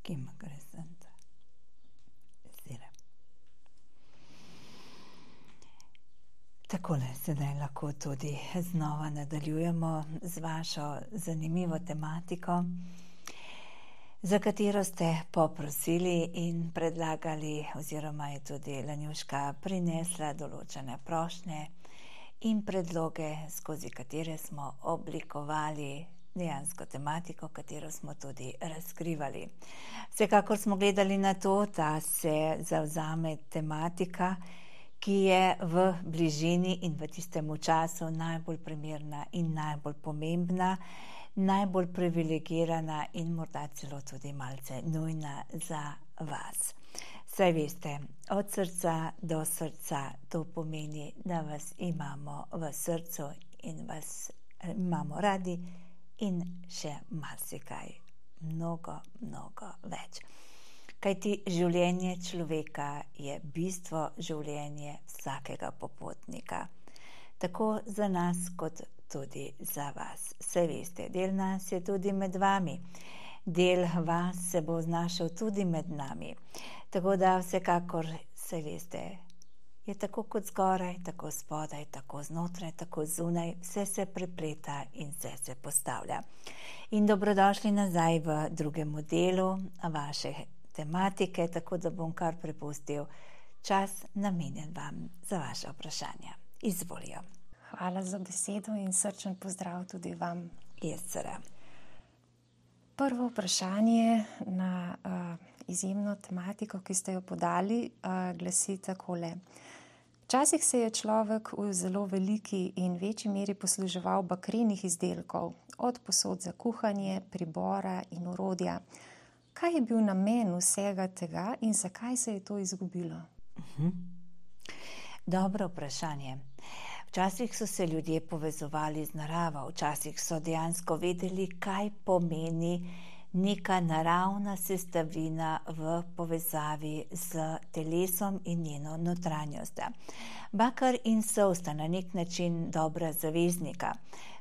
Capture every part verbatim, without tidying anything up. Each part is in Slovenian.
Kim Crescent. Zire. Takole sedaj lahko tudi znova nadaljujemo z vašo zanimivo tematiko, za katero ste poprosili in predlagali, oziroma je tudi Lanjuška prinesla določene prošnje in predloge, skozi katere smo oblikovali dejansko tematiko, katero smo tudi razkrivali. Vsekakor smo gledali na to, da se zavzame tematika, ki je v bližini in v tistem času najbolj primerna in najbolj pomembna, najbolj privilegirana in morda celo tudi malce nujna za vas. Saj veste, od srca do srca, to pomeni, da vas imamo v srcu in vas imamo radi in še marsikaj, mnogo, mnogo več. Kajti življenje človeka je bistvo življenje vsakega popotnika. Tako za nas, kot tudi za vas. Saj veste, del nas je tudi med vami. Del vas se bo znašel tudi med nami. Tako da vsekakor, saj veste, je tako kot zgoraj, tako spodaj, tako znotraj, tako zunaj, vse se prepleta in vse se postavlja. In dobrodošli nazaj v drugem delu vaše tematike, tako da bom kar prepustil čas namenjen vam za vaše vprašanja. Izvolijo. Hvala za besedo in srčen pozdrav tudi vam. Jesera. Prvo vprašanje na uh, izjemno tematiko, ki ste jo podali, uh, glasi takole. Včasih se je človek v zelo veliki in večji meri posluževal bakrenih izdelkov, od posod za kuhanje, pribora in orodja. Kaj je bil namen vsega tega in zakaj se je to izgubilo? Uh-huh. Dobro vprašanje. Včasih so se ljudje povezovali z naravo, včasih so dejansko vedeli, kaj pomeni neka naravna sestavina v povezavi z telesom in njeno notranjostjo. Bakar in sol sta na nek način dobra zaveznika,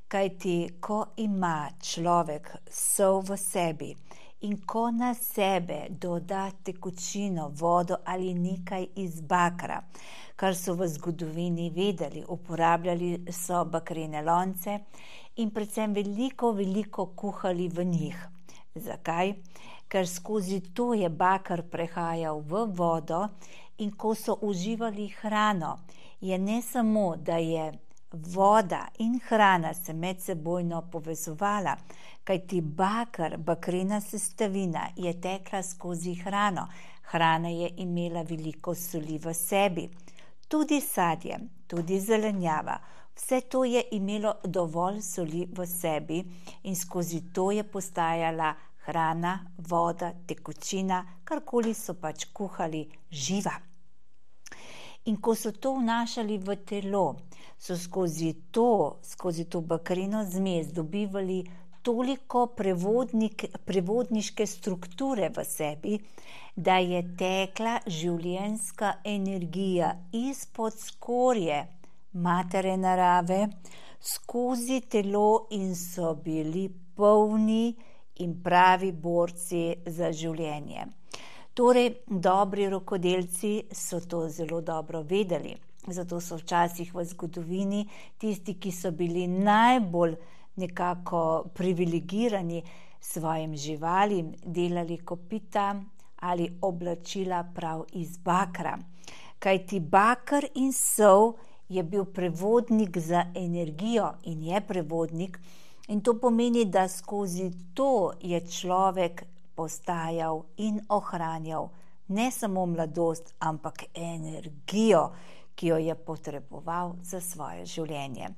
kajti ko ima človek sol v sebi in ko na sebe doda tekočino, vodo ali nekaj iz bakra, kar so v zgodovini vedeli, uporabljali so bakrene lonce in predvsem veliko, veliko kuhali v njih. Zakaj? Ker skozi to je bakar prehajal v vodo in ko so uživali hrano, je ne samo, da je voda in hrana se medsebojno povezovala, kajti bakar, bakrena sestavina je tekla skozi hrano. Hrana je imela veliko soli v sebi. Tudi sadje, tudi zelenjava, vse to je imelo dovolj soli v sebi in skozi to je postajala hrana, voda, tekočina, karkoli so pač kuhali, živa. In ko so to vnašali v telo, so skozi to, skozi to bakreno zmes dobivali toliko prevodnik, prevodniške strukture v sebi, da je tekla življenjska energija izpod skorje matere narave skozi telo in so bili polni in pravi borci za življenje. Torej, dobri rokodelci so to zelo dobro vedeli. Zato so včasih v zgodovini tisti, ki so bili najbolj nekako privilegirani svojim živalim, delali kopita ali oblačila prav iz bakra. Kajti bakar in sol je bil prevodnik za energijo in je prevodnik in to pomeni, da skozi to je človek postajal in ohranjal ne samo mladost, ampak energijo, ki jo je potreboval za svoje življenje.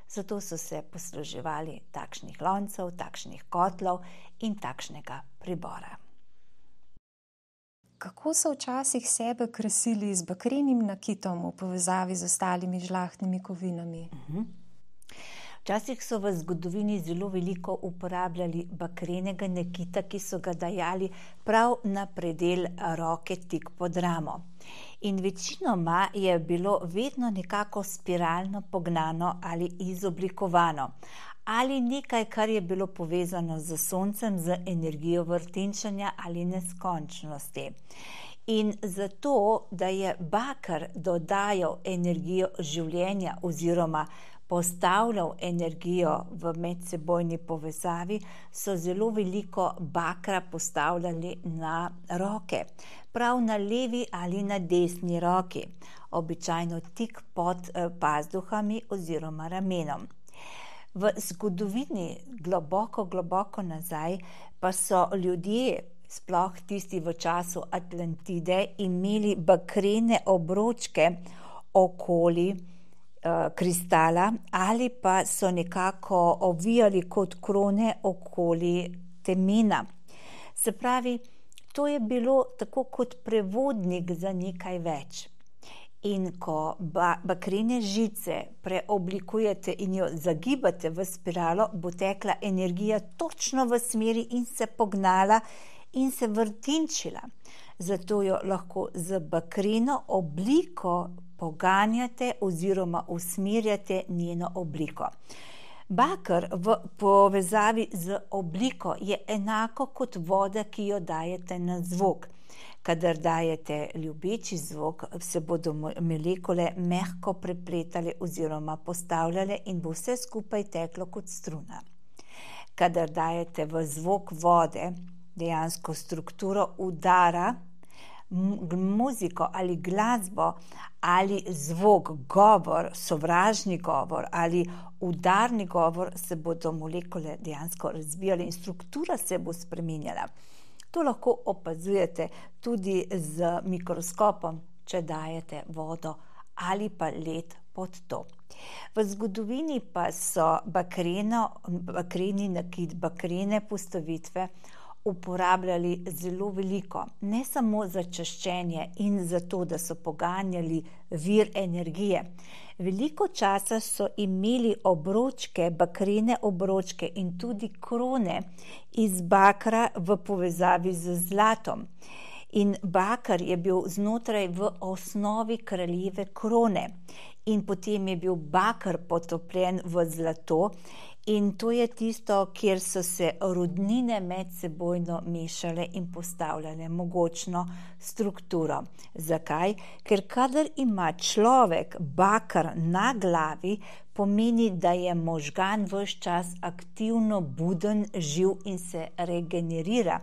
Zato so se posluževali takšnih loncev, takšnih kotlov in takšnega pribora. Kako so včasih sebe krasili z bakrenim nakitom v povezavi z ostalimi žlahtnimi kovinami? Uh-huh. Včasih so v zgodovini zelo veliko uporabljali bakrenega nakita, ki so ga dajali prav na predel roke tik pod ramo. In večinoma je bilo vedno nekako spiralno pognano ali izoblikovano, ali nekaj, kar je bilo povezano z soncem, z energijo vrtinčenja ali neskončnosti. In zato, da je baker dodajal energijo življenja oziroma postavljal energijo v medsebojni povezavi, so zelo veliko bakra postavljali na roke, prav na levi ali na desni roki, običajno tik pod pazduhami oziroma ramenom. V zgodovini globoko, globoko nazaj pa so ljudje, sploh tisti v času Atlantide, imeli bakrene obročke okoli kristala ali pa so nekako ovijali kot krone okoli temena. Se pravi, to je bilo tako kot prevodnik za nekaj več. In ko ba- bakrene žice preoblikujete in jo zagibate v spiralo, bo tekla energija točno v smeri in se pognala in se vrtinčila. Zato jo lahko z bakreno obliko poganjate oziroma usmerjate njeno obliko. Baker v povezavi z obliko je enako kot voda, ki jo dajete na zvok. Kadar dajete ljubeči zvok, se bodo molekule mehko prepletale oziroma postavljale in bo vse skupaj teklo kot struna. Kadar dajete v zvok vode dejansko strukturo udara, muziko ali glasbo ali zvok, govor, sovražni govor ali udarni govor, se bodo molekule dejansko razvijale in struktura se bo spreminjala. To lahko opazujete tudi z mikroskopom, če dajete vodo ali pa led pod to. V zgodovini pa so bakreno, bakreni nakit, bakrene postavitve uporabljali zelo veliko, ne samo za čiščenje in za to, da so poganjali vir energije. Veliko časa so imeli obročke, bakrene obročke in tudi krone iz bakra v povezavi z zlatom. In bakar je bil znotraj v osnovi kraljeve krone in potem je bil bakar potopljen v zlato. In to je tisto, kjer so se rudnine medsebojno mešale in postavljale mogočno strukturo. Zakaj? Ker kadar ima človek bakar na glavi, pomeni, da je možgan ves čas aktivno buden, živ in se regenerira.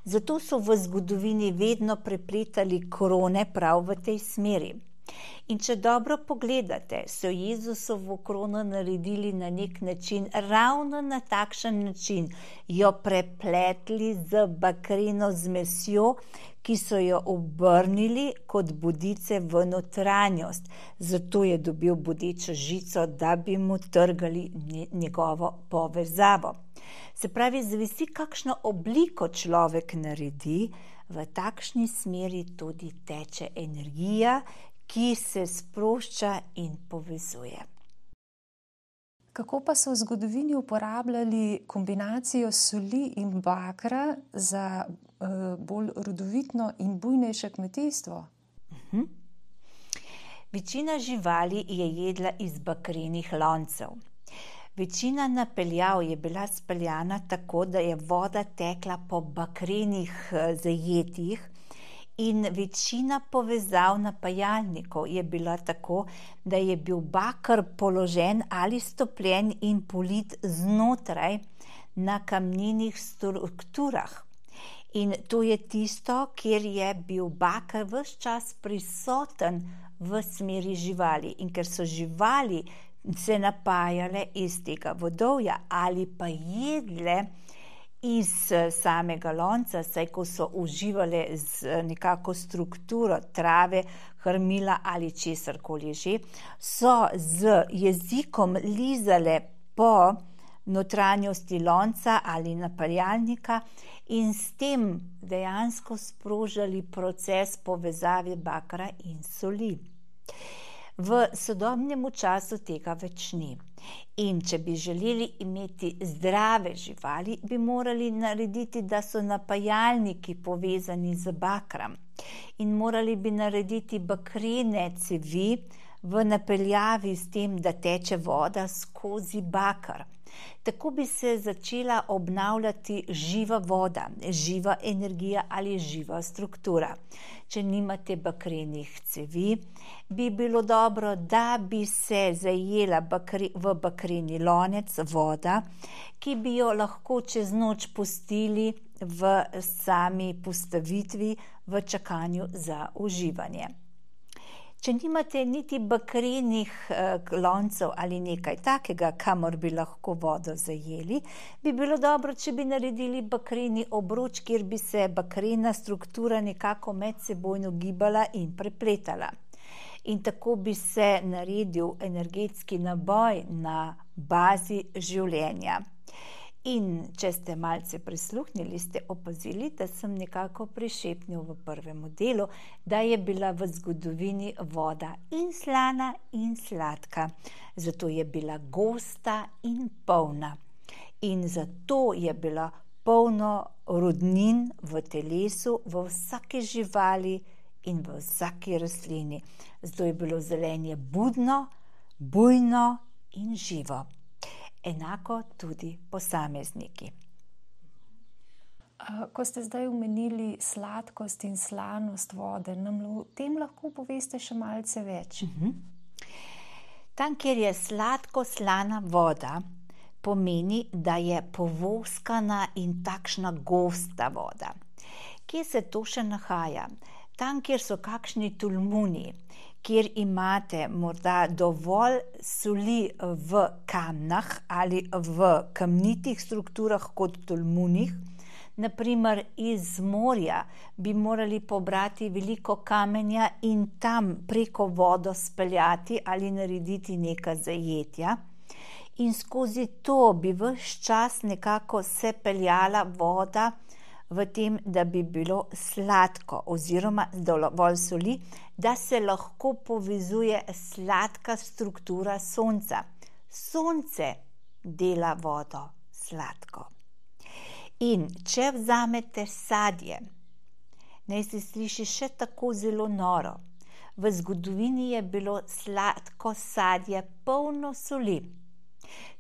Zato so v zgodovini vedno prepletali krone prav v tej smeri. In če dobro pogledate, so Jezusovo krono naredili na nek način, ravno na takšen način, jo prepletli z bakreno zmesjo, ki so jo obrnili kot bodice v notranjost. Zato je dobil bodečo žico, da bi mu trgali njegovo povezavo. Se pravi, zavisi, kakšno obliko človek naredi, v takšni smeri tudi teče energija, ki se sprošča in povezuje. Kako pa so v zgodovini uporabljali kombinacijo soli in bakra za uh, bolj rodovitno in bujnejše kmetijstvo? Uh-huh. Večina živali je jedla iz bakrenih loncev. Večina napeljav je bila speljana tako, da je voda tekla po bakrenih zajetjih, in večina povezav napajalnikov je bila tako, da je bil baker položen ali stopljen in polit znotraj na kamninih strukturah. In to je tisto, kjer je bil baker ves čas prisoten v smeri živali. In ker so živali se napajale iz tega vodovja ali pa jedle iz samega lonca, saj ko so uživale z nekako strukturo trave, krmila ali česarkoli že, so z jezikom lizale po notranjosti lonca ali napaljalnika in s tem dejansko sprožali proces povezave bakra in soli. V sodobnem času tega več ni. In če bi želeli imeti zdrave živali, bi morali narediti, da so napajalniki povezani z bakrom. In morali bi narediti bakrene cevi v napeljavi s tem, da teče voda skozi bakar. Tako bi se začela obnavljati živa voda, živa energija ali živa struktura. Če nimate bakrenih cevi, bi bilo dobro, da bi se zajela bakre, v bakreni lonec voda, ki bi jo lahko čez noč pustili v sami postavitvi v čakanju za uživanje. Če nimate niti bakrenih eh, loncev ali nekaj takega, kamor bi lahko vodo zajeli, bi bilo dobro, če bi naredili bakreni obroč, kjer bi se bakrena struktura nekako medsebojno gibala in prepletala. In tako bi se naredil energetski naboj na bazi življenja. In če ste malce prisluhnili, ste opazili, da sem nekako prišepnil v prvem delu, da je bila v zgodovini voda in slana in sladka. Zato je bila gosta in polna. In zato je bila polno rodnin v telesu, v vsaki živali in v vsaki rastlini. Zato je bilo zelenje budno, bujno in živo. Enako tudi posamezniki. Ko ste zdaj omenili sladkost in slanost vode, nam o tem lahko poveste še malce več? Uh-huh. Tam, kjer je sladko-slana voda, pomeni, da je povoskana in takšna gosta voda. Kje se to še nahaja? Tam, kjer so kakšni tolmuni, kjer imate morda dovolj soli v kamnah ali v kamnitih strukturah kot tolmunih, naprimer iz morja bi morali pobrati veliko kamenja in tam preko vodo speljati ali narediti neka zajetja. In skozi to bi ves čas nekako se peljala voda v tem, da bi bilo sladko oziroma dovolj soli, da se lahko povezuje sladka struktura sonca. Sonce dela vodo sladko. In če vzamete sadje, naj se sliši še tako zelo noro, v zgodovini je bilo sladko sadje polno soli.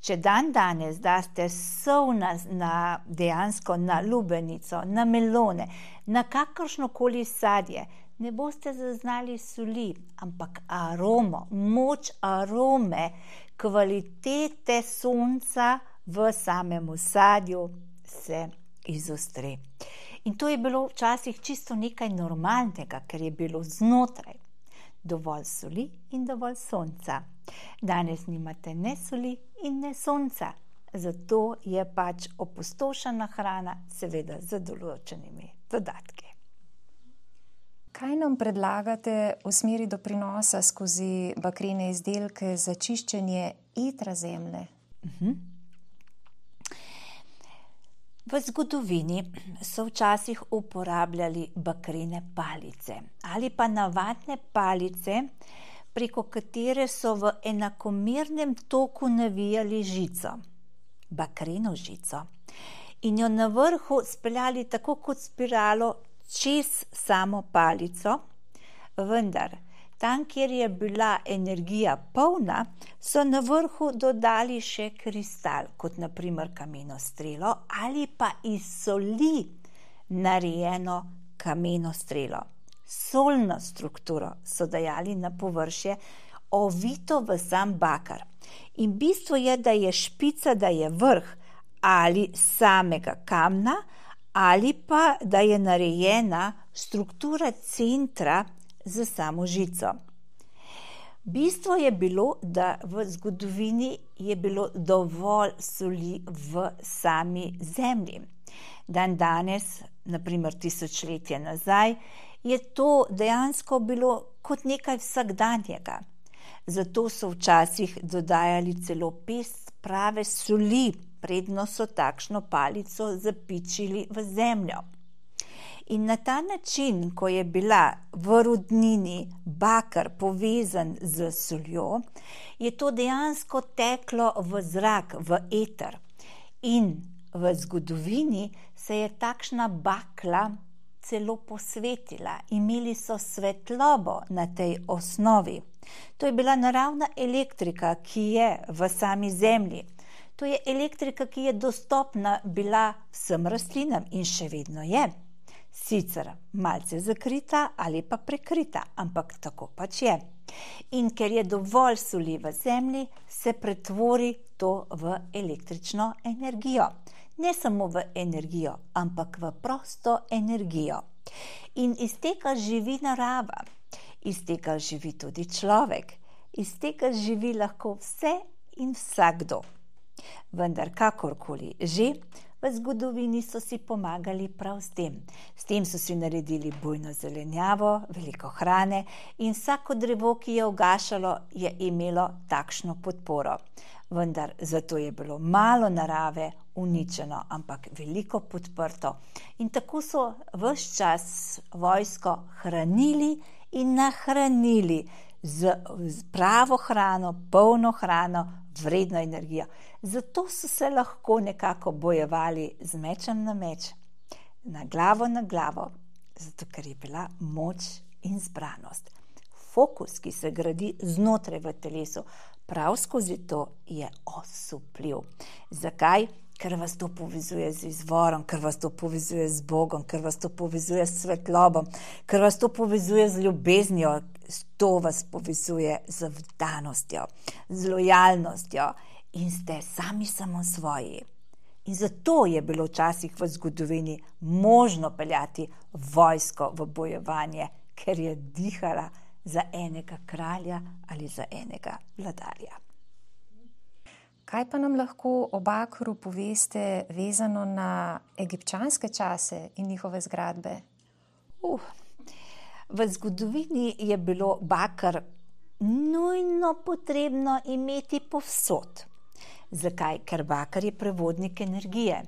Če dan danes daste sol na, na dejansko na lubenico, na melone, na kakršnokoli sadje, ne boste zaznali soli, ampak aromo, moč arome, kvalitete sonca v samem sadju se izostri. In to je bilo včasih čisto nekaj normalnega, ker je bilo znotraj dovolj soli in dovolj sonca. Danes nimate ne soli in ne sonca, zato je pač opustošena hrana, seveda z določenimi dodatki. Kaj nam predlagate v smeri doprinosa skozi bakrene izdelke za čiščenje etra zemlje? Uh-huh. V zgodovini so včasih uporabljali bakrene palice ali pa navadne palice, preko katere so v enakomernem toku navijali žico, bakreno žico, in jo na vrhu speljali tako kot spiralo čez samo palico, vendar tam, kjer je bila energija polna, so na vrhu dodali še kristal, kot naprimer kameno strelo ali pa iz soli narejeno kameno strelo. Solno strukturo so dajali na površje, ovito v sam bakar. In bistvo je, da je špica, da je vrh ali samega kamna, ali pa da je narejena struktura centra za samo žico. Bistvo je bilo, da v zgodovini je bilo dovolj soli v sami zemlji. Dan danes, naprimer tisočletje nazaj, je to dejansko bilo kot nekaj vsakdanjega. Zato so včasih dodajali celo pest prave soli, predno so takšno palico zapičili v zemljo. In na ta način, ko je bila v rodnini bakar povezan z soljo, je to dejansko teklo v zrak, v eter. In v zgodovini se je takšna bakla celo posvetila. Imeli so svetlobo na tej osnovi. To je bila naravna elektrika, ki je v sami zemlji. To je elektrika, ki je dostopna bila vsem rastlinam in še vedno je. Sicer malce zakrita ali pa prekrita, ampak tako pač je. In ker je dovolj soli v zemlji, se pretvori to v električno energijo. Ne samo v energijo, ampak v prosto energijo. In iz tega živi narava, iz tega živi tudi človek, iz tega živi lahko vse in vsakdo. Vendar kakorkoli že, v zgodovini so si pomagali prav s tem. S tem so si naredili bujno zelenjavo, veliko hrane in vsako drevo, ki je ugašalo, je imelo takšno podporo. Vendar zato je bilo malo narave uničeno, ampak veliko podprto. In tako so ves čas vojsko hranili in nahranili z, z pravo hrano, polno hrano, vredno energijo. Zato so se lahko nekako bojevali z mečem na meč, na glavo na glavo, zato ker je bila moč in zbranost. Fokus, ki se gradi znotraj v telesu, prav skozi to je osupljiv. Zakaj? Ker vas to povezuje z izvorom, ker vas to povezuje z Bogom, ker vas to povezuje s svetlobom, ker vas to povezuje z ljubeznijo, to vas povezuje z vdanostjo, z lojalnostjo in ste sami samo svoji. In zato je bilo včasih v zgodovini možno peljati vojsko v bojevanje, ker je dihala za enega kralja ali za enega vladarja. Kaj pa nam lahko o Bakru poveste vezano na egipčanske čase in njihove zgradbe? Uh, v zgodovini je bilo bakar nujno potrebno imeti povsod. Zakaj? Ker bakar je prevodnik energije.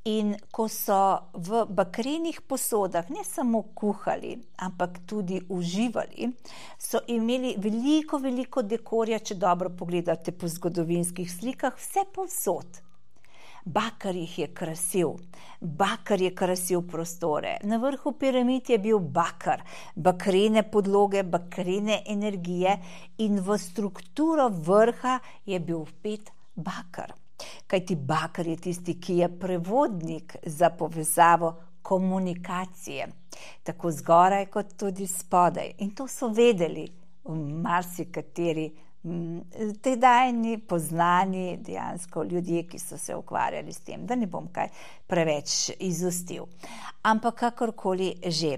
In ko so v bakrenih posodah ne samo kuhali, ampak tudi uživali, so imeli veliko, veliko dekorja, če dobro pogledate po zgodovinskih slikah, vse povsod. Bakar jih je krasil, bakar je krasil prostore. Na vrhu piramid je bil bakar, bakrene podloge, bakrene energije in v strukturo vrha je bil vpet bakar. Kajti bakar je tisti, ki je prevodnik za povezavo komunikacije, tako zgoraj kot tudi spodaj. In to so vedeli v marsikateri tedajni poznani dejansko ljudje, ki so se ukvarjali s tem, da ne bom kaj preveč izustil. Ampak kakorkoli že.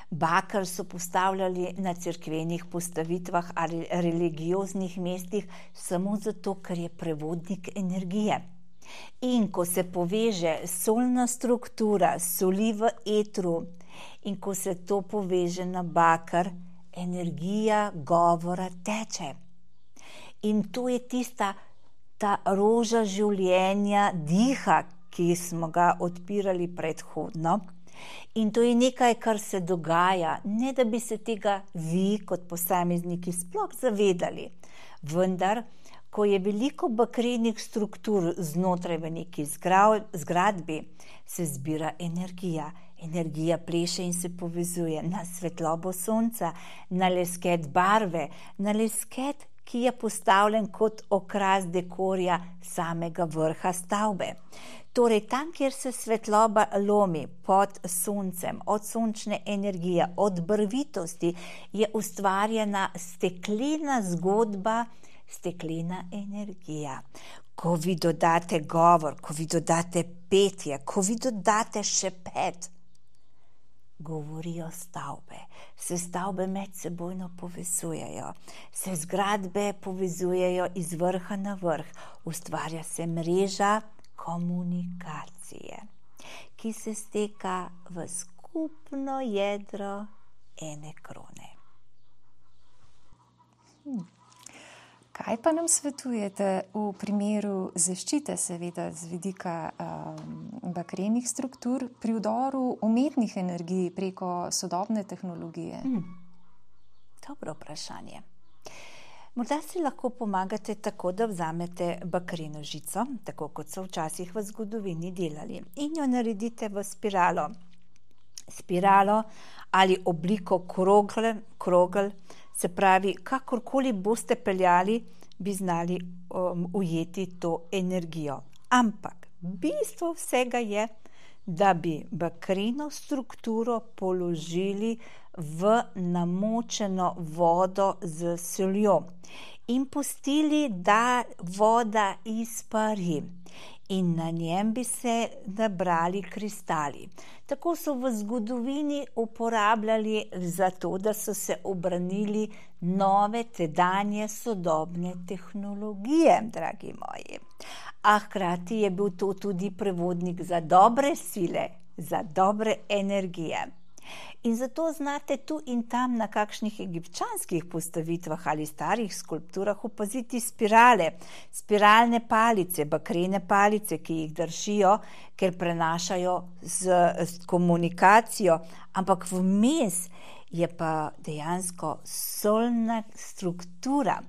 Bakar so postavljali na cerkvenih postavitvah ali religioznih mestih samo zato, ker je prevodnik energije. In ko se poveže solna struktura, soli v etru in ko se to poveže na bakar, energija govora teče. In to je tista ta roža življenja, diha, ki smo ga odpirali predhodno. In to je nekaj, kar se dogaja, ne da bi se tega vi kot posamezniki sploh zavedali. Vendar, ko je veliko bakrenih struktur znotraj v neki zgradbi, se zbira energija. Energija pleše in se povezuje na svetlobo sonca, na lesket barve, na lesket, ki je postavljen kot okras dekorja samega vrha stavbe. Torej, tam, kjer se svetloba lomi pod soncem, od sončne energije, od barvitosti, je ustvarjena steklena zgodba, steklena energija. Ko vi dodate govor, ko vi dodate petje, ko vi dodate šepet, govorijo stavbe. Se stavbe medsebojno povezujejo, se zgradbe povezujejo iz vrha na vrh, ustvarja se mreža komunikacije, ki se steka v skupno jedro ene krone. Hmm. Kaj pa nam svetujete v primeru zaščite, seveda z vidika um, bakrenih struktur, pri vdoru umetnih energij preko sodobne tehnologije? Hmm. Dobro vprašanje. Morda si lahko pomagate tako, da vzamete bakreno žico, tako kot so včasih v zgodovini delali, in jo naredite v spiralo. spiralo ali obliko krogl, krogl, se pravi, kakorkoli boste peljali, bi znali um, ujeti to energijo. Ampak bistvo vsega je, da bi bakreno strukturo položili v namočeno vodo z soljo in pustili, da voda izpari. In na njem bi se nabrali kristali. Tako so v zgodovini uporabljali za to, da so se obranili nove tedanje sodobne tehnologije, dragi moji. A hkrati je bil to tudi prevodnik za dobre sile, za dobre energije. In zato znate tu in tam na kakšnih egipčanskih postavitvah ali starih skulpturah opaziti spirale, spiralne palice, bakrene palice, ki jih držijo, ker prenašajo z, z komunikacijo, ampak vmes je pa dejansko solna struktura.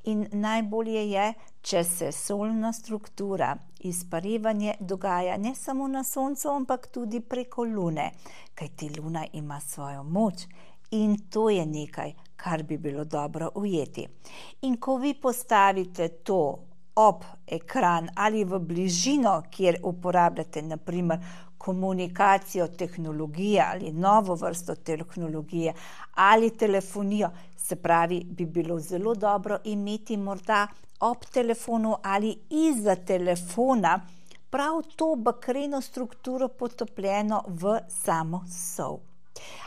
In najbolje je, če se solna struktura, izparivanje dogaja ne samo na soncu, ampak tudi preko lune, kajti luna ima svojo moč in to je nekaj, kar bi bilo dobro ujeti. In ko vi postavite to ob ekran ali v bližino, kjer uporabljate na primer komunikacijo, tehnologije ali novo vrsto tehnologije ali telefonijo, se pravi, bi bilo zelo dobro imeti morda ob telefonu ali izza telefona prav to bakreno strukturo potopljeno v samo sol.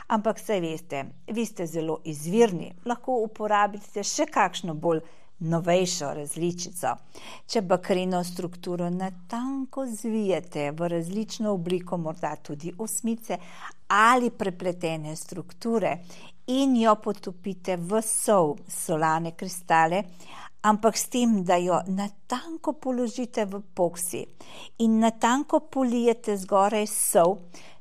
Ampak saj veste, vi ste zelo izvirni, lahko uporabite še kakšno bolj novejšo različico. Če bakreno strukturo natanko zvijete v različno obliko, morda tudi osmice ali prepletene strukture in jo potopite v sol, solane kristale, ampak s tem, da jo natanko položite v epoksi in natanko polijete zgoraj sol,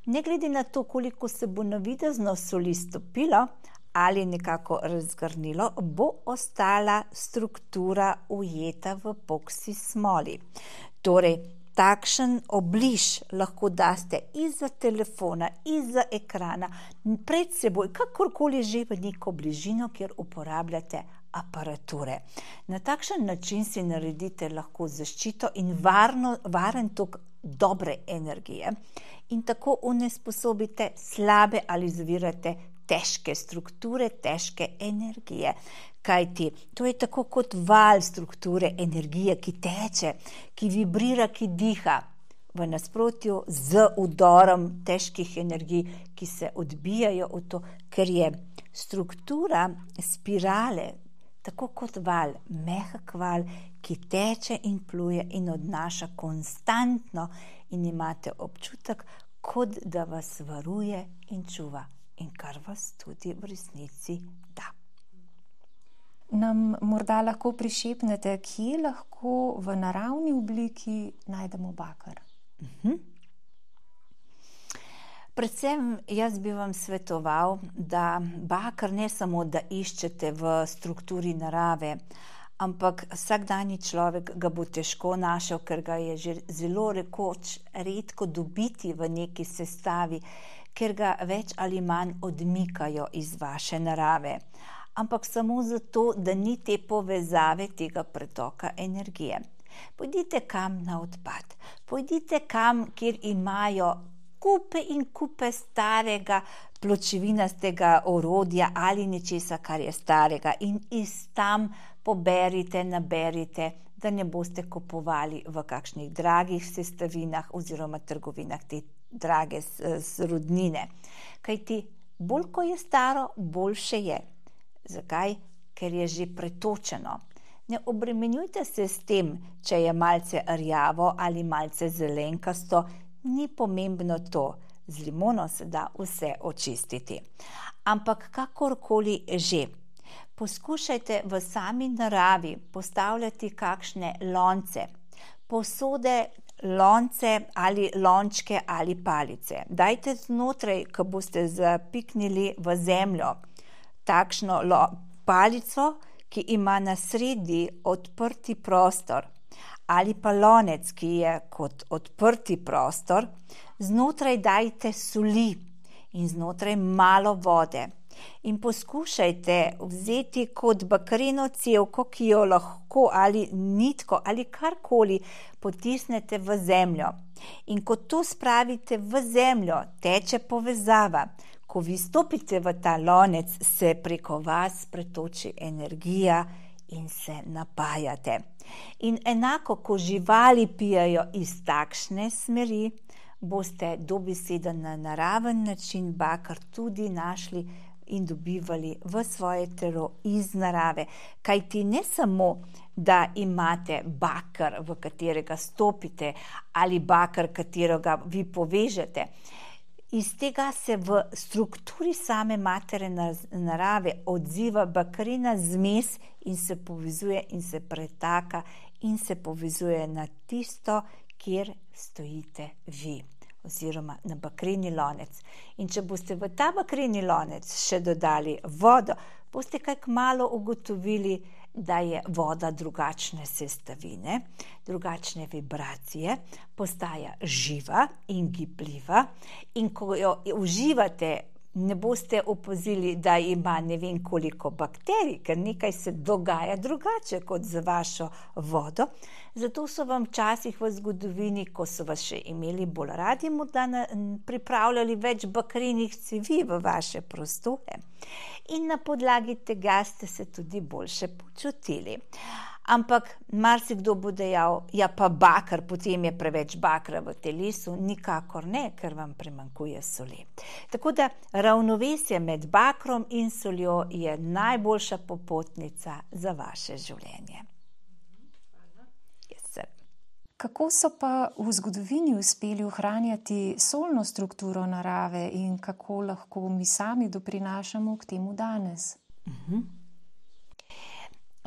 ne glede na to, koliko se bo navidezno soli stopilo ali nekako razgrnilo, bo ostala struktura ujeta v epoksi smoli. Torej, takšen obliž lahko daste izza telefona, izza ekrana, pred seboj, kakorkoli že v neko bližino, kjer uporabljate aparature. Na takšen način si naredite lahko zaščito in varno, varen tok dobre energije in tako onesposobite slabe ali zavirate težke strukture, težke energije. Kajti to je tako kot val strukture energije, ki teče, ki vibrira, ki diha, v nasprotju z udorom težkih energij, ki se odbijajo v to, ker je struktura spirale tako kot val, mehak val, ki teče in pluje in odnaša konstantno in imate občutek, kot da vas varuje in čuva. In kar vas tudi v resnici da. Nam morda lahko prišepnete, kje lahko v naravni obliki najdemo baker? Uh-huh. Predvsem jaz bi vam svetoval, da baker ne samo, da iščete v strukturi narave, ampak vsakdanji človek ga bo težko našel, ker ga je že zelo rekoč redko dobiti v neki sestavi, ker ga več ali manj odmikajo iz vaše narave. Ampak samo zato, da ni te povezave tega pretoka energije. Pojdite kam na odpad, pojdite kam, kjer imajo kupe in kupe starega pločevinastega orodja ali nečesa, kar je starega in iz tam poberite, naberite, da ne boste kupovali v kakšnih dragih sestavinah oziroma trgovinah te drage rodnine. Kajti bolj ko je staro, boljše je. Zakaj? Ker je že pretočeno. Ne obremenjujte se s tem, če je malce rjavo ali malce zelenkasto, ni pomembno to. Z limono se da vse očistiti. Ampak kakorkoli že, poskušajte v sami naravi postavljati kakšne lonce, posode, lonce ali lončke ali palice. Dajte znotraj, ko boste zapiknili v zemljo, takšno lo, palico, ki ima na sredi odprti prostor, ali pa lonec, ki je kot odprti prostor, znotraj dajte soli in znotraj malo vode. In poskušajte vzeti kot bakreno cevko, ki jo lahko ali nitko ali karkoli potisnete v zemljo. In ko to spravite v zemljo, teče povezava. Ko vi stopite v ta lonec, se preko vas pretoči energija in se napajate. In enako, ko živali pijajo iz takšne smeri, boste dobesedno na naraven način bakar tudi našli in dobivali v svoje telo iz narave. Kajti ne samo, da imate bakar, v katerega stopite, ali bakar, katerega vi povežete. Iz tega se v strukturi same matere narave odziva bakrena zmes in se povezuje in se pretaka in se povezuje na tisto, kjer stojite vi, oziroma na bakreni lonec. In če boste v ta bakreni lonec še dodali vodo, boste kaj kmalu ugotovili, da je voda drugačne sestavine, drugačne vibracije, postaja živa in gibljiva, in ko jo uživate, ne boste opazili, da ima ne vem koliko bakterij, ker nekaj se dogaja drugače kot z vašo vodo. Zato so vam včasih v zgodovini, ko so vas še imeli bolj radi, morda pripravljali več bakrenih cevi v vaše prostore. In na podlagi tega ste se tudi boljše počutili. Ampak marsikdo bo dejal, ja pa bakar, potem je preveč bakra v telesu. Nikakor ne, ker vam primanjkuje soli. Tako da ravnovesje med bakrom in soljo je najboljša popotnica za vaše življenje. Yes, kako so pa v zgodovini uspeli ohranjati solno strukturo narave in kako lahko mi sami doprinašamo k temu danes? Uh-huh.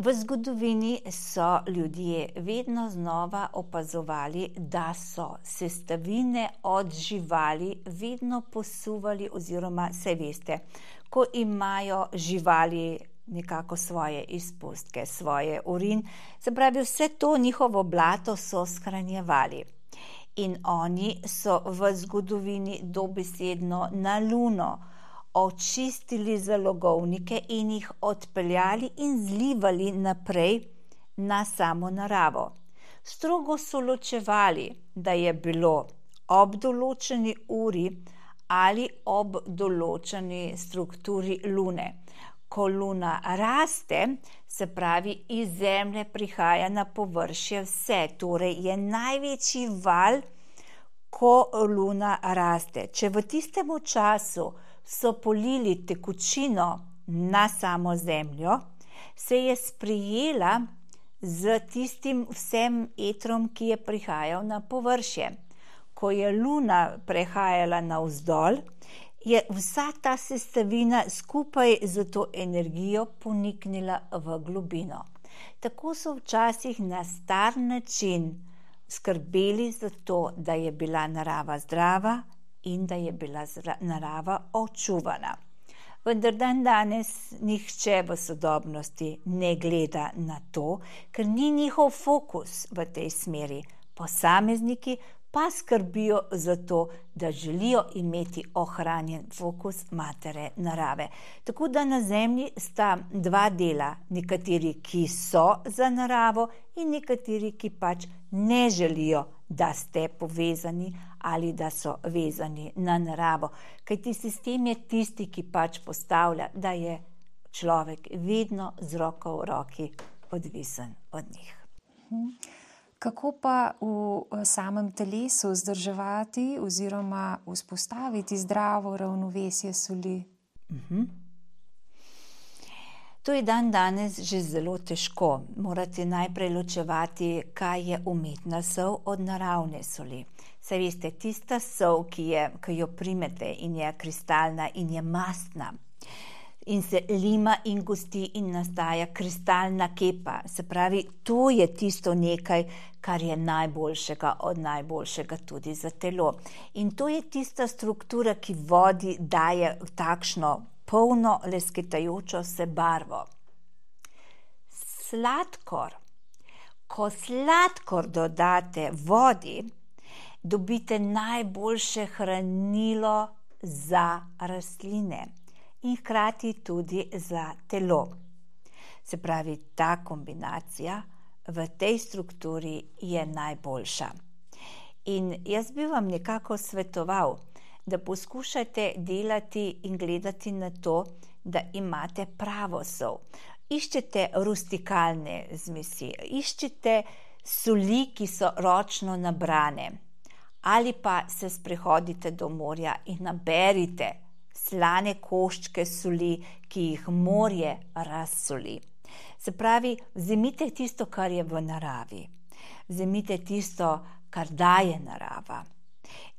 V zgodovini so ljudje vedno znova opazovali, da so sestavine od živali vedno posuvali, oziroma saj veste, ko imajo živali nekako svoje izpustke, svoje urin, se pravi vse to njihovo blato so shranjevali. In oni so v zgodovini dobesedno na Luno očistili zalogovnike in jih odpeljali in zlivali naprej na samo naravo. Strogo so ločevali, da je bilo ob določeni uri ali ob določeni strukturi Lune. Ko Luna raste, se pravi iz Zemlje prihaja na površje vse, torej je največji val, ko Luna raste. Če v tistem času so polili tekočino na samo Zemljo, se je sprijela z tistim vsem etrom, ki je prihajal na površje. Ko je Luna prehajala navzdol, je vsa ta sestavina skupaj z to energijo poniknila v globino. Tako so včasih na star način skrbeli za to, da je bila narava zdrava in da je bila narava očuvana. Vendar dan danes nihče v sodobnosti ne gleda na to, ker ni njihov fokus v tej smeri. Posamezniki pa skrbijo za to, da želijo imeti ohranjen fokus matere narave. Tako da na Zemlji sta dva dela, nekateri, ki so za naravo in nekateri, ki pač ne želijo, da ste povezani ali da so vezani na naravo. Kajti sistem je tisti, ki pač postavlja, da je človek vedno z roko v roki odvisen od njih. Hmm. Kako pa v samem telesu vzdrževati oziroma vzpostaviti zdravo ravnovesje soli? Uh-huh. To je dan danes že zelo težko. Morate najprej ločevati, kaj je umetna sol od naravne soli. Saj veste, tista sol, ki, je, ki jo primete in je kristalna in je mastna, in se lima in gosti in nastaja kristalna kepa. Se pravi, to je tisto nekaj, kar je najboljšega od najboljšega tudi za telo. In to je tista struktura, ki vodi daje takšno polno lesketajočo se barvo. Sladkor. Ko sladkor dodate vodi, dobite najboljše hranilo za rastline in hkrati tudi za telo. Se pravi, ta kombinacija v tej strukturi je najboljša. In jaz bi vam nekako svetoval, da poskušate delati in gledati na to, da imate pravo sol. Iščete rustikalne zmesi, iščete soli, ki so ročno nabrane, ali pa se sprehodite do morja in naberite slane koščke soli, ki jih morje razsoli. Se pravi, vzemite tisto, kar je v naravi, vzemite tisto, kar daje narava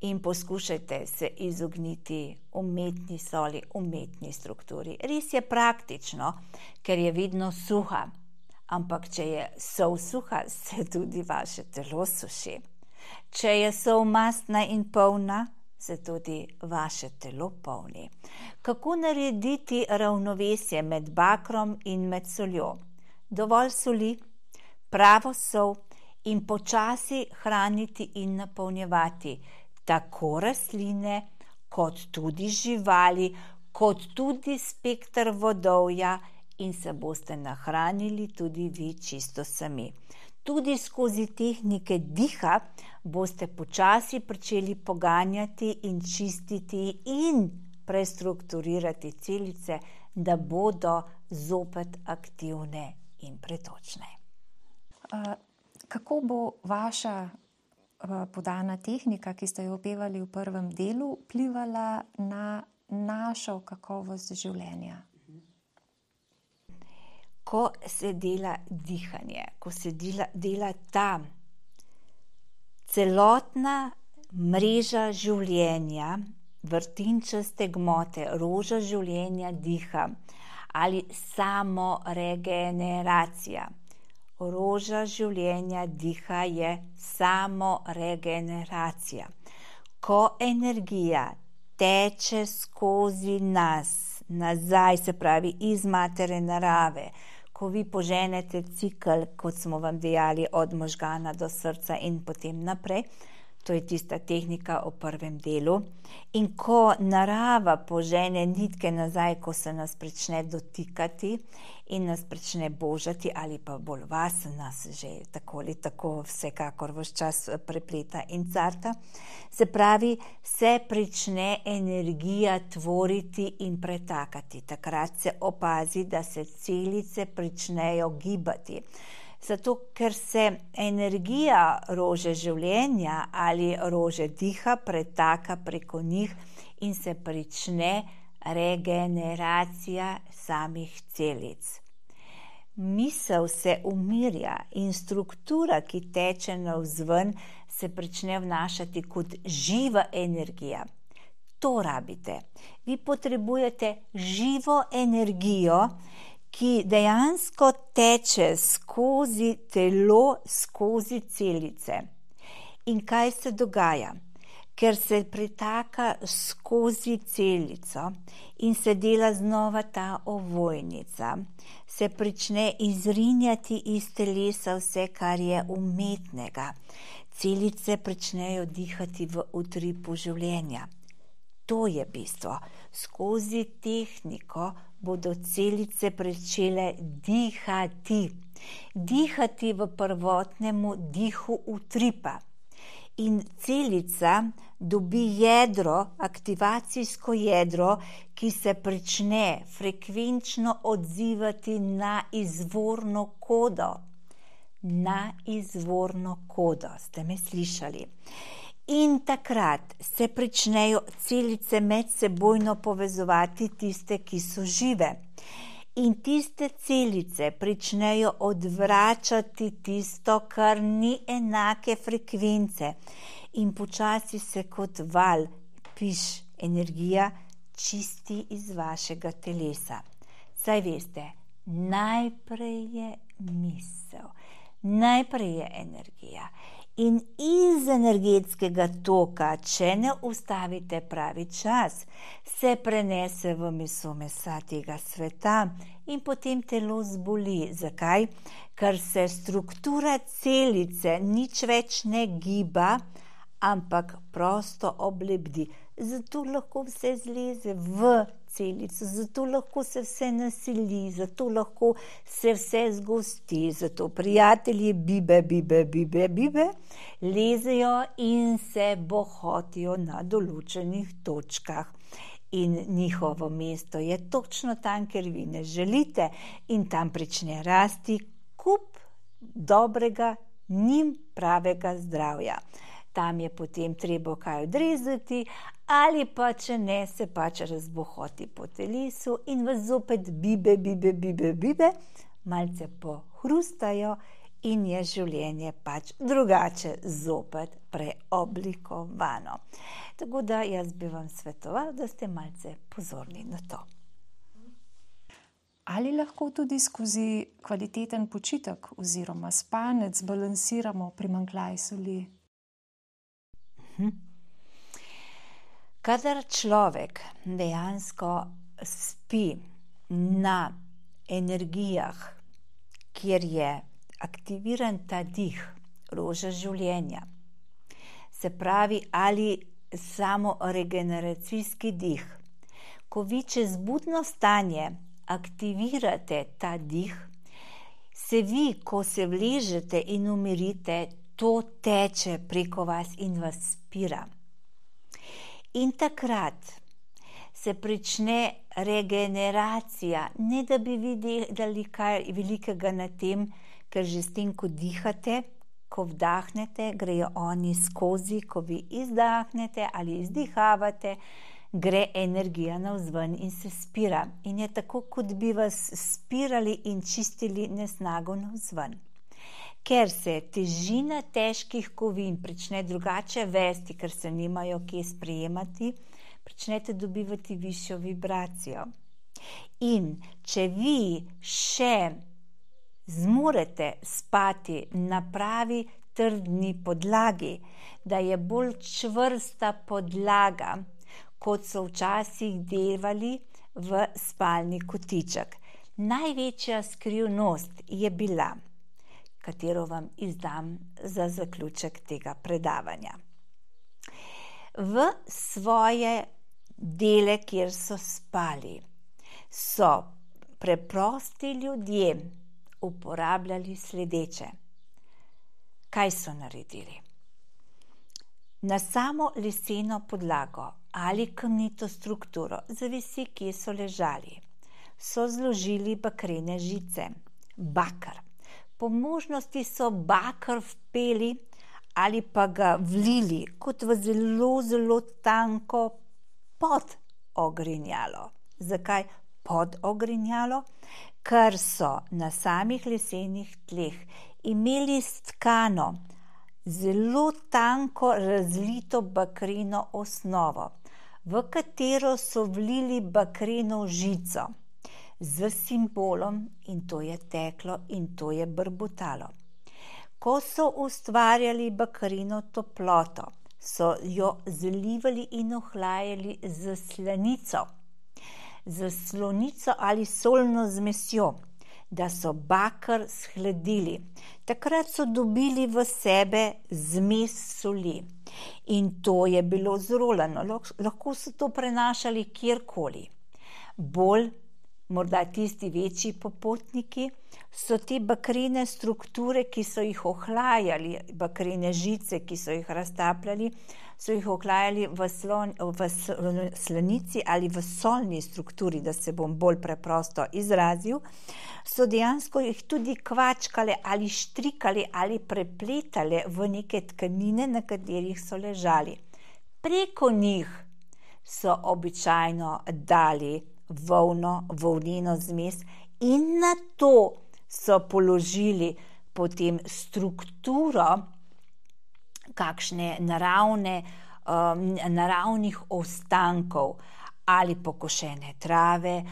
in poskušajte se izogniti umetni soli, umetni strukturi. Res je praktično, ker je vedno suha, ampak če je sol suha, se tudi vaše telo suši. Če je sol mastna in polna, se tudi vaše telo polni. Kako narediti ravnovesje med bakrom in med soljo? Dovolj soli, pravo sol in počasi hraniti in napolnjevati tako rastline, kot tudi živali, kot tudi spekter vodovja in se boste nahranili tudi vi čisto sami. Tudi skozi tehnike diha boste počasi pričeli poganjati in čistiti in prestrukturirati celice, da bodo zopet aktivne in pretočne. Uh, kako bo vaša uh, podana tehnika, ki ste jo opevali v prvem delu, vplivala na našo kakovost življenja? Ko se dela dihanje, ko se dela, dela ta celotna mreža življenja, vrtinčaste gmote, roža življenja diha ali samo regeneracija. Roža življenja diha je samo regeneracija. Ko energija teče skozi nas, nazaj, se pravi iz matere narave, ko vi poženete cikl, kot smo vam dejali, od možgana do srca in potem naprej, to je tista tehnika o prvem delu, in ko narava požene nitke nazaj, ko se nas prične dotikati in nas prične božati, ali pa bolj vas, nas že tako ali tako vsekakor vse čas prepleta in carta, se pravi, se prične energija tvoriti in pretakati. Takrat se opazi, da se celice pričnejo gibati. Zato, ker se energija rože življenja ali rože diha pretaka preko njih in se prične regeneracija samih celic. Misel se umirja in struktura, ki teče navzven, se prične vnašati kot živa energija. To rabite. Vi potrebujete živo energijo, ki dejansko teče skozi telo, skozi celice. In kaj se dogaja? Ker se pretaka skozi celico in se dela znova ta ovojnica, se prične izrinjati iz telesa vse, kar je umetnega. Celice pričnejo dihati v utripu življenja. To je bistvo. Skozi tehniko bodo celice pričele dihati. Dihati v prvotnemu dihu utripa. In celica dobi jedro, aktivacijsko jedro, ki se prične frekvenčno odzivati na izvorno kodo. Na izvorno kodo. Ste me slišali? In takrat se pričnejo celice medsebojno povezovati, tiste, ki so žive. In tiste celice pričnejo odvračati tisto, kar ni enake frekvence. In počasi se kot val, piš, energija čisti iz vašega telesa. Saj veste, najprej je misel, najprej je energija. In iz energetskega toka, če ne ustavite pravi čas, se prenese v meso mesa tega sveta in potem telo zboli. Zakaj? Ker se struktura celice nič več ne giba, ampak prosto oblebdi. zato lahko vse zleze v celico, zato lahko se vse nasili, zato lahko se vse zgosti, zato prijatelji bibe, bibe, bibe, bibe lezejo in se bohotijo na določenih točkah. In njihovo mesto je točno tam, kjer vi ne želite, in tam prične rasti kup dobrega, njim pravega zdravja. Tam je potem treba kaj odrezati, ali pa če ne, se pač razbohoti po telesu in vas zopet bibe, bibe, bibe, bibe, malce pohrustajo in je življenje pač drugače zopet preoblikovano. Tako da jaz bi vam svetoval, da ste malce pozorni na to. Ali lahko tudi skozi kvaliteten počitek oziroma spanec balansiramo primanjkljaj soli? Kadar človek dejansko spi na energijah, kjer je aktiviran ta dih, roža življenja, se pravi ali samo regeneracijski dih, ko vi čez budno stanje aktivirate ta dih, se vi, ko se vležete in umirite, to teče preko vas in vas spira. In takrat se prične regeneracija, ne da bi videli kaj velikega na tem, ker že s tem, ko dihate, ko vdahnete, grejo oni skozi, ko vi izdahnete ali izdihavate, gre energija navzven in se spira. In je tako, kot bi vas spirali in čistili nesnago navzven. Ker se težina težkih kovin prične drugače vesti, ker se nimajo kje sprejemati, pričnete dobivati višjo vibracijo. In če vi še zmorete spati na pravi trdni podlagi, da je bolj čvrsta podlaga, kot so včasih delali v spalni kotiček. Največja skrivnost je bila, katero vam izdam za zaključek tega predavanja. V svoje dele, kjer so spali, so preprosti ljudje uporabljali sledeče. Kaj so naredili? Na samo leseno podlago ali kamnito strukturo, zavisi, kje so ležali, so zložili bakrene žice, bakar. Po možnosti so bakar vpeli ali pa ga vlili kot v zelo, zelo tanko podogrinjalo. Zakaj podogrinjalo? Ker so na samih lesenih tleh imeli stkano zelo tanko razlito bakreno osnovo, v katero so vlili bakreno žico z simbolom, in to je teklo in to je brbotalo. Ko so ustvarjali bakreno toploto, so jo zalivali in ohlajali z slanico, z slonico ali solno zmesjo, da so bakar shladili. Takrat so dobili v sebe zmes soli in to je bilo zrolano. Lahko so to prenašali kjerkoli. Bolj, morda tisti večji popotniki, so te bakrene strukture, ki so jih ohlajali, bakrene žice, ki so jih raztapljali, so jih ohlajali v, slon, v slanici ali v solni strukturi, da se bom bolj preprosto izrazil, so dejansko jih tudi kvačkale ali štrikali ali prepletale v neke tkanine, na katerih so ležali. Preko njih so običajno dali volno, volneno zmes in na to so položili potem strukturo kakšne naravne, um, naravnih ostankov ali pokošene trave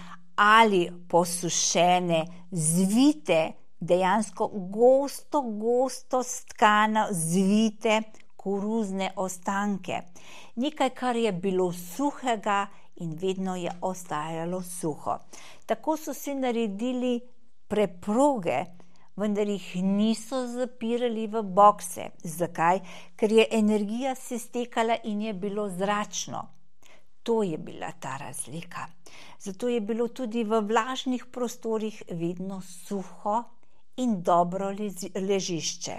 ali posušene, zvite, dejansko gosto, gosto stkano, zvite koruzne ostanke. Nekaj, kar je bilo suhega in vedno je ostajalo suho. Tako so si naredili preproge, vendar jih niso zapirali v bokse. Zakaj? Ker je energija se stekala in je bilo zračno. To je bila ta razlika. Zato je bilo tudi v vlažnih prostorih vedno suho in dobro ležišče.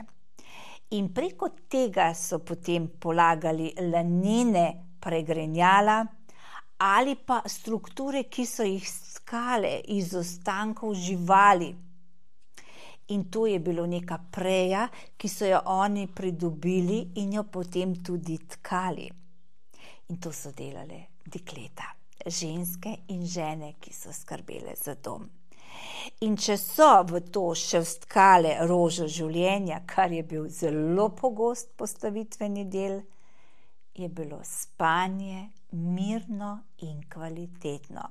In preko tega so potem polagali lanene pregrinjala ali pa strukture, ki so jih stkale iz ostankov živali. In to je bilo neka preja, ki so jo oni pridobili in jo potem tudi tkali. In to so delale dekleta, ženske in žene, ki so skrbele za dom. In če so v to še vstkale rožo življenja, kar je bil zelo pogost postavitveni del, je bilo spanje mirno in kvalitetno.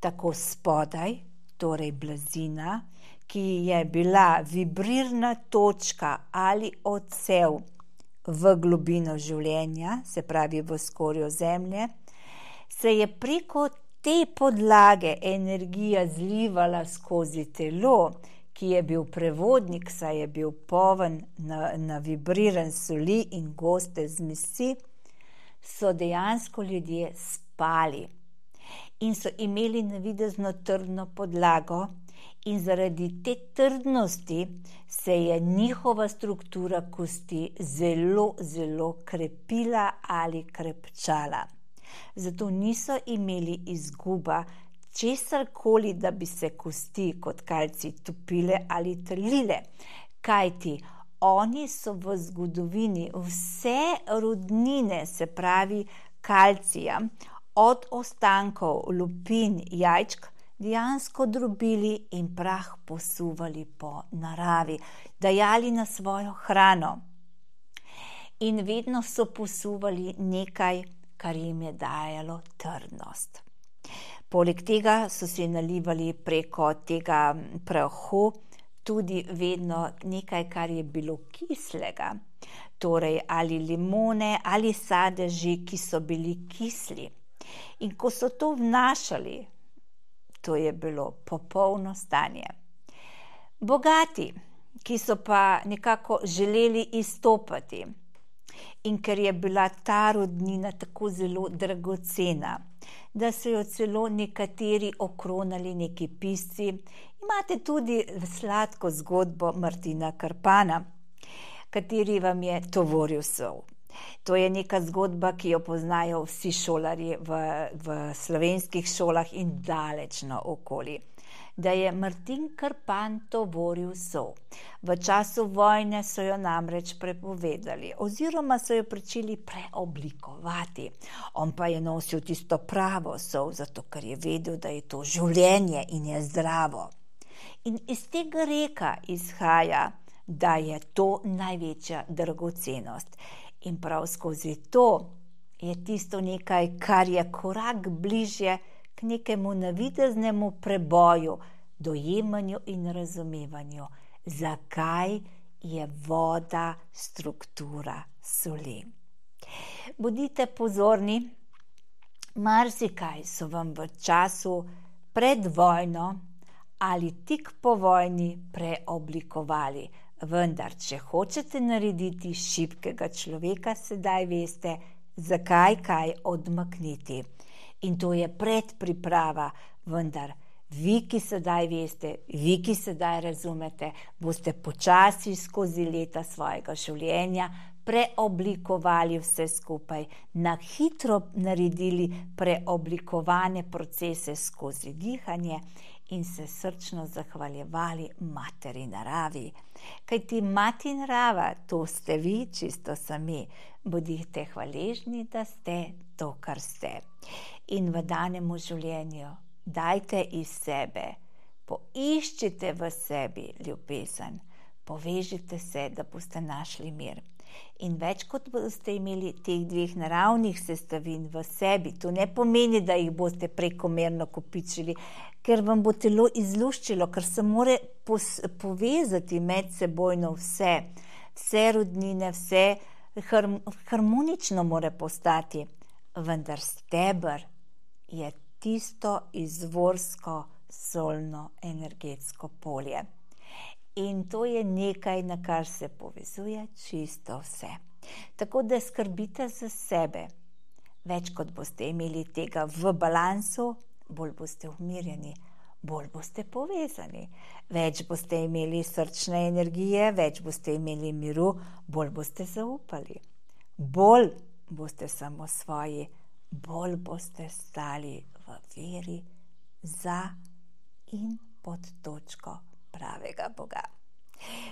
Tako spodaj, torej blazina, ki je bila vibrirna točka ali odsev v globino življenja, se pravi v skorjo zemlje, se je preko te podlage energija zlivala skozi telo, ki je bil prevodnik, saj je bil poln na, na vibriran soli in goste zmesi, so dejansko ljudje spali in so imeli navidezno trdno podlago in zaradi te trdnosti se je njihova struktura kosti zelo, zelo krepila ali krepčala. Zato niso imeli izguba česarkoli, da bi se kosti kot kalci topile ali trlile, kajti oni so v zgodovini vse rudnine, se pravi kalcija, od ostankov lupin, jajčk, dejansko drobili in prah posuvali po naravi, dajali na svojo hrano. In vedno so posuvali nekaj, kar jim je dajalo trdnost. Poleg tega so si nalivali preko tega prahu tudi vedno nekaj, kar je bilo kislega, torej ali limone ali sadeži, ki so bili kisli. In ko so to vnašali, to je bilo popolno stanje. Bogati, ki so pa nekako želeli izstopati, in ker je bila ta rodnina tako zelo dragocena, da so jo celo nekateri okronali neki pisci. Imate tudi sladko zgodbo Martina Krpana, kateri vam je tovoril sol. To je neka zgodba, ki jo poznajo vsi šolarji v, v slovenskih šolah in daleč naokoli. Da je Martin Krpan tovoril sol. V času vojne so jo namreč prepovedali oziroma so jo pričeli preoblikovati. On pa je nosil tisto pravo sol, zato ker je vedel, da je to življenje in je zdravo. In iz tega reka izhaja, da je to največja dragocenost. In prav skozi to je tisto nekaj, kar je korak bližje k nekemu navideznemu preboju, dojemanju in razumevanju, zakaj je voda struktura soli. Bodite pozorni, marsikaj so vam v času pred vojno ali tik po vojni preoblikovali, vendar če hočete narediti šibkega človeka, sedaj veste, zakaj kaj odmakniti. In to je predpriprava, vendar vi, ki sedaj veste, vi, ki sedaj razumete, boste počasi skozi leta svojega življenja preoblikovali vse skupaj, na hitro naredili preoblikovane procese skozi dihanje in se srčno zahvaljevali materi naravi. Kajti mati narava, to ste vi, čisto sami. Bodite hvaležni, da ste to, kar ste. In v danemu življenju dajte iz sebe, poiščite v sebi ljubezen, povežite se, da boste našli mir. In več kot boste imeli teh dveh naravnih sestavin v sebi, to ne pomeni, da jih boste prekomerno kopičili, ker vam bo telo izluščilo, ker se more povezati medsebojno vse, vse rodnine, vse harmonično more postati, vendar steber je tisto izvorsko solno energetsko polje. In to je nekaj, na kar se povezuje čisto vse. Tako da skrbite za sebe. Več kot boste imeli tega v balansu, bolj boste umirjeni, bolj boste povezani. Več boste imeli srčne energije, več boste imeli miru, bolj boste zaupali. Bolj boste samosvoji, bolj boste stali v veri za in pod točko pravega Boga.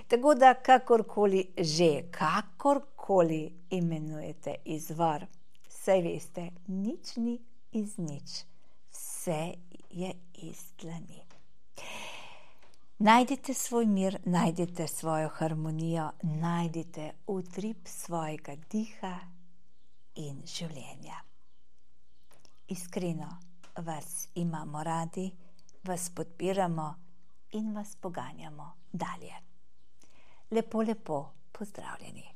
Tako da kakorkoli že, kakorkoli imenujete izvor, saj veste, nič ni iz nič, vse je iz dlani. Najdite svoj mir, najdite svojo harmonijo, najdite utrip svojega diha in življenja. Iskreno vas imamo radi, vas podpiramo in vas poganjamo dalje. Lepo, lepo pozdravljeni.